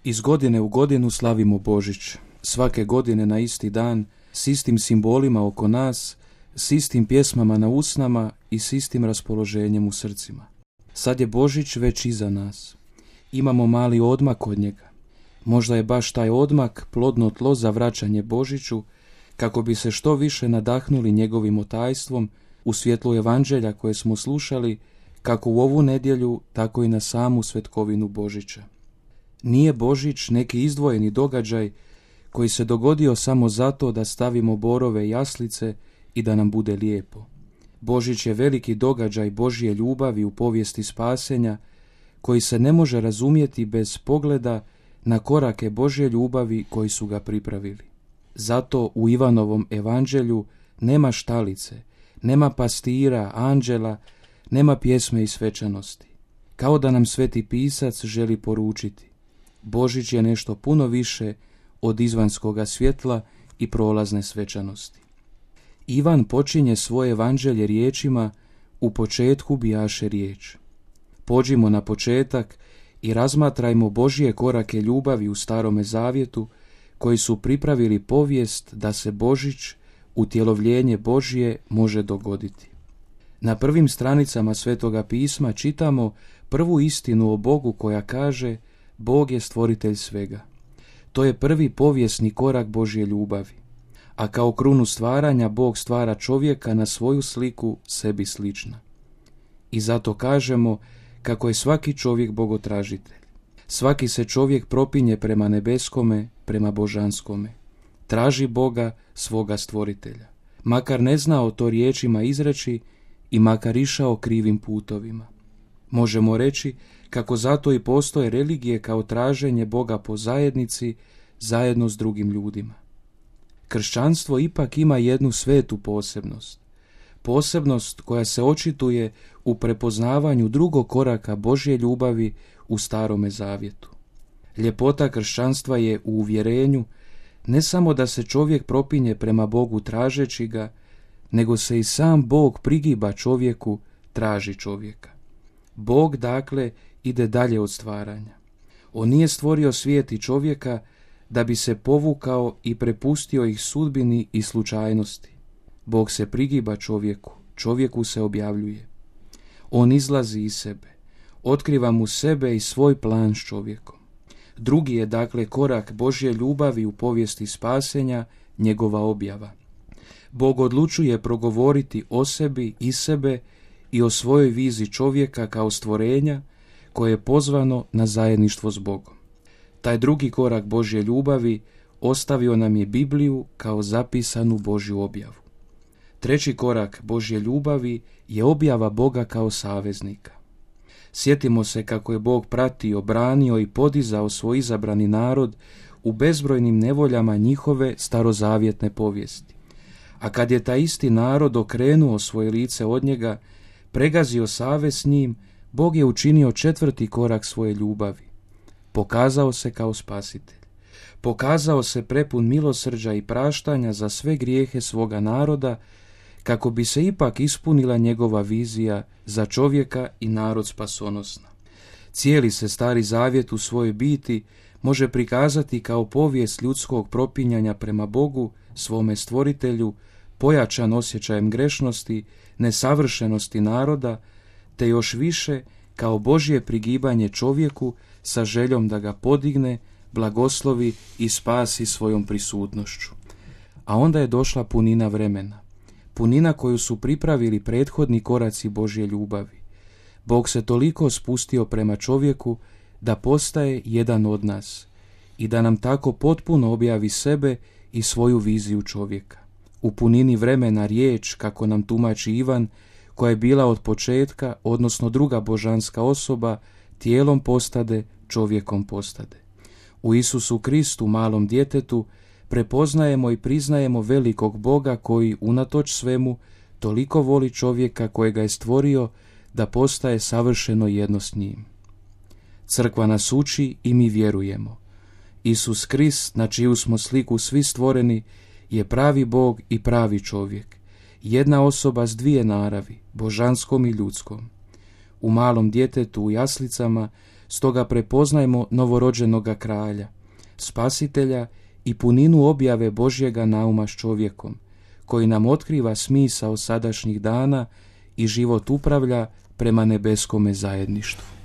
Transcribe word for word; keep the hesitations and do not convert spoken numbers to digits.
Iz godine u godinu slavimo Božić. Svake godine na isti dan, s istim simbolima oko nas, s istim pjesmama na usnama i s istim raspoloženjem u srcima. Sad je Božić već iza nas. Imamo mali odmak od njega. Možda je baš taj odmak plodno tlo za vraćanje Božiću, kako bi se što više nadahnuli njegovim otajstvom u svjetlu evanđelja koje smo slušali, kako u ovu nedjelju, tako i na samu svetkovinu Božića. Nije Božić neki izdvojeni događaj koji se dogodio samo zato da stavimo borove jaslice i da nam bude lijepo. Božić je veliki događaj Božje ljubavi u povijesti spasenja, koji se ne može razumjeti bez pogleda na korake Božje ljubavi koji su ga pripravili. Zato u Ivanovom evanđelju nema štalice, nema pastira, anđela, nema pjesme i svečanosti. Kao da nam Sveti Pisac želi poručiti: Božić je nešto puno više od izvanskoga svjetla i prolazne svečanosti. Ivan počinje svoje evanđelje riječima: u početku bijaše riječ. Pođimo na početak i razmatrajmo Božje korake ljubavi u Starome zavjetu, koji su pripravili povijest da se Božić, utjelovljenje Božje, može dogoditi. Na prvim stranicama Svetoga pisma čitamo prvu istinu o Bogu koja kaže: Bog je stvoritelj svega. To je prvi povijesni korak Božje ljubavi. A kao krunu stvaranja Bog stvara čovjeka na svoju sliku, sebi slična. I zato kažemo kako je svaki čovjek bogotražitelj. Svaki se čovjek propinje prema nebeskome, prema božanskome. Traži Boga, svoga stvoritelja. Makar ne znao to riječima izreći i makar išao krivim putovima. Možemo reći kako zato i postoje religije kao traženje Boga po zajednici, zajedno s drugim ljudima. Kršćanstvo ipak ima jednu svetu posebnost. Posebnost koja se očituje u prepoznavanju drugog koraka Božje ljubavi u Starome zavjetu. Ljepota kršćanstva je u uvjerenju ne samo da se čovjek propinje prema Bogu tražeći ga, nego se i sam Bog prigiba čovjeku, traži čovjeka. Bog, dakle, ide dalje od stvaranja. On nije stvorio svijet i čovjeka da bi se povukao i prepustio ih sudbini i slučajnosti. Bog se prigiba čovjeku, čovjeku se objavljuje. On izlazi iz sebe, otkriva mu sebe i svoj plan s čovjekom. Drugi je, dakle, korak Božje ljubavi u povijesti spasenja, njegova objava. Bog odlučuje progovoriti o sebi i sebe i o svojoj viziji čovjeka kao stvorenja koje je pozvano na zajedništvo s Bogom. Taj drugi korak Božje ljubavi ostavio nam je Bibliju kao zapisanu Božju objavu. Treći korak Božje ljubavi je objava Boga kao saveznika. Sjetimo se kako je Bog pratio, branio i podizao svoj izabrani narod u bezbrojnim nevoljama njihove starozavjetne povijesti. A kad je taj isti narod okrenuo svoje lice od njega, pregazio savez s njim, Bog je učinio četvrti korak svoje ljubavi. Pokazao se kao spasitelj. Pokazao se prepun milosrđa i praštanja za sve grijehe svoga naroda, kako bi se ipak ispunila njegova vizija za čovjeka i narod spasonosna. Cijeli se Stari Zavjet u svojoj biti može prikazati kao povijest ljudskog propinjanja prema Bogu, svome stvoritelju, pojačan osjećajem grešnosti, nesavršenosti naroda, te još više kao Božje prigibanje čovjeku sa željom da ga podigne, blagoslovi i spasi svojom prisutnošću. A onda je došla punina vremena. Punina koju su pripravili prethodni koraci Božje ljubavi. Bog se toliko spustio prema čovjeku da postaje jedan od nas i da nam tako potpuno objavi sebe i svoju viziju čovjeka. U punini vremena riječ, kako nam tumači Ivan, koja je bila od početka, odnosno druga božanska osoba, tijelom postade, čovjekom postade. U Isusu Kristu, malom djetetu, prepoznajemo i priznajemo velikog Boga koji, unatoč svemu, toliko voli čovjeka kojega je stvorio da postaje savršeno jedno s njim. Crkva nas uči i mi vjerujemo. Isus Krist, na čiju smo sliku svi stvoreni, je pravi Bog i pravi čovjek. Jedna osoba s dvije naravi, božanskom i ljudskom. U malom djetetu u jaslicama Stoga prepoznajmo novorođenoga kralja, spasitelja i puninu objave Božjega nauma s čovjekom, koji nam otkriva smisao sadašnjih dana i život upravlja prema nebeskome zajedništvu.